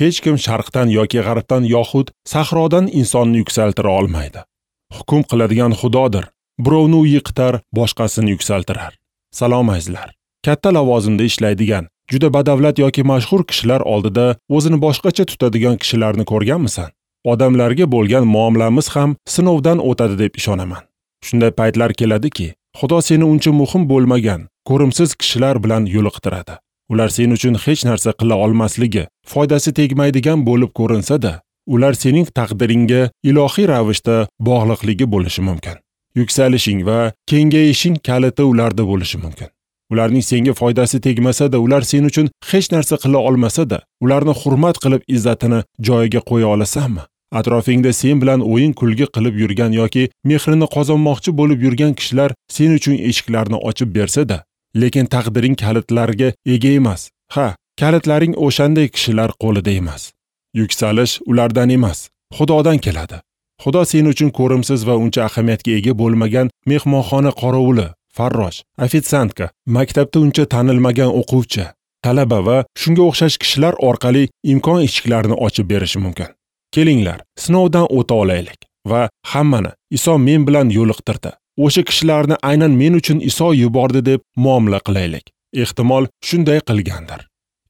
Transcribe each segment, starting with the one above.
Hech kim sharqdan yoki g'arbdan yoxud sahrodan insonni yuksaltira olmaydi. Hukm qiladigan Xudodir. Birovni u yiqitar, boshqasini yuksaltirar. Salom azizlar. Katta lavozimda ishlaydigan, juda badavlat yoki mashhur kishilar oldida o'zini boshqacha tutadigan kishilarni ko'rganmisan? Odamlarga bo'lgan muomalamiz ham sinovdan o'tadi deb ishonaman. Shunday paytlar keladiki, Xudo seni uncha muhim bo'lmagan, ko'rimsiz kishilar bilan yo'liqtiradi. Ular sen uchun hech narsa qila olmasligi, foydasi tegmaydigan bo'lib ko'rinsa-da, ular sening taqdiringga ilohiy ravishda bog'liqligi bo'lishi mumkin. Yuksalishing va kengayishing kaliti ularda bo'lishi mumkin. Ularning senga foydasi tegmasa-da, ular sen uchun hech narsa qila olmasa-da, ularni hurmat qilib izzatini joyiga qo'ya olasanmi? Atrofingda sen bilan o'yin kulgi qilib yurgan yoki mehrini qozonmoqchi bo'lib yurgan kishilar sen uchun eshiklarni ochib bersa-da, lekin taqdiring kalitlariga ega emas. Ha, kalitlaring o'shanday kishilar qo'lida emas. Yuksalish ulardan emas, Xudodan keladi. Xudo sen uchun ko'rimsiz va uncha ahamiyatga ega bo'lmagan mehmonxona qorovuli, farrosh, ofitsiantka, maktabda uncha tanilmagan o'quvchi, talaba va shunga o'xshash kishilar orqali imkon eshiklarini ochib berishi mumkin. Kelinglar, sinovdan o'ta olaylik va hammani Iso men bilan yo'liqtirdi. O'sha kishilarni aynan men uchun Iso yubordi deb muomala qilaylik. Ehtimol shunday qilgandir.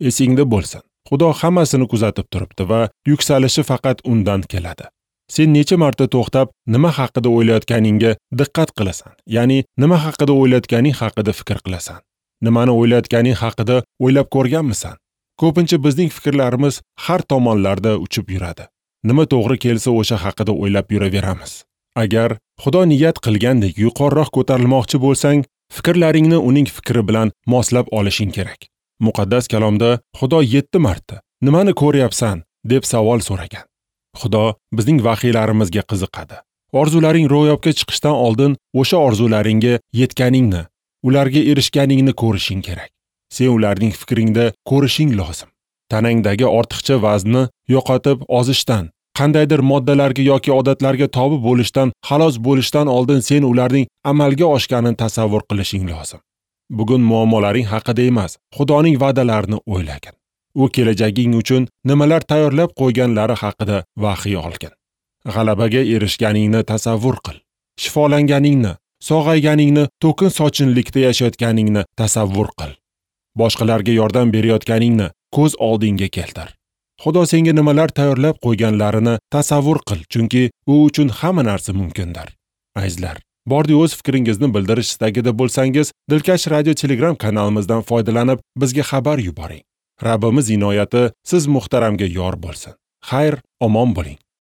Esingda bo'lsin, Xudo hammasini kuzatib turibdi va yuksalishi faqat undan keladi. Sen necha marta to'xtab, nima haqida o'ylayotganingga diqqat qilasan, ya'ni nima haqida o'ylayotganing haqida fikr qilasan. Nimani o'ylayotganing haqida o'ylab ko'rganmisan? Ko'pincha bizning fikrlarimiz har tomonlarda uchib yuradi. Nima to'g'ri kelsa o'sha haqida o'ylab yuraveramiz. Agar Xudo niyat qilgandek yuqoriroq ko'tarilmoqchi bo'lsang, fikrlaringni uning fikri bilan moslab olishing kerak. Muqaddas kalomda Xudo 7 marta "Nimani ko'ryapsan?" deb savol so'ragan. Xudo bizning vahiylarimizga qiziqadi. Orzularing ro'yobga chiqishdan oldin o'sha orzularingga yetganingni, ularga erishganingni ko'rishing kerak. Sen ularning fikringda ko'rishing lozim. Tanangdagi ortiqcha vaznni yo'qotib ozishdan, qandaydir moddalarga yoki odatlarga tobi bo'lishdan xalos bo'lishdan oldin sen ularning amalga oshganini tasavvur qilishing lozim. Bugun muammolaring haqida emas, Xudoning va'dalarini o'ylagin. U kelajaging uchun nimalar tayyorlab qo'yganlari haqida vahiy olgin. G'alabaga erishganingni tasavvur qil. Shifolanganingni, sog'ayganingni, to'kin sochinlikda yashayotganingni tasavvur qil. Boshqalarga yordam berayotganingni ko'z oldingga keltir. Xudo senga nimalar tayyorlab qo'yganlarini tasavvur qil, chunki u uchun hamma narsa mumkindir. Azizlar, bordi o'z fikringizni bildirish istagida bo'lsangiz, Dilkash Radio Telegram kanalimizdan foydalanib bizga xabar yuboring. Rabbimiz inoyati siz muhtaramga yor bo'lsin. Xayr, omon bo'ling.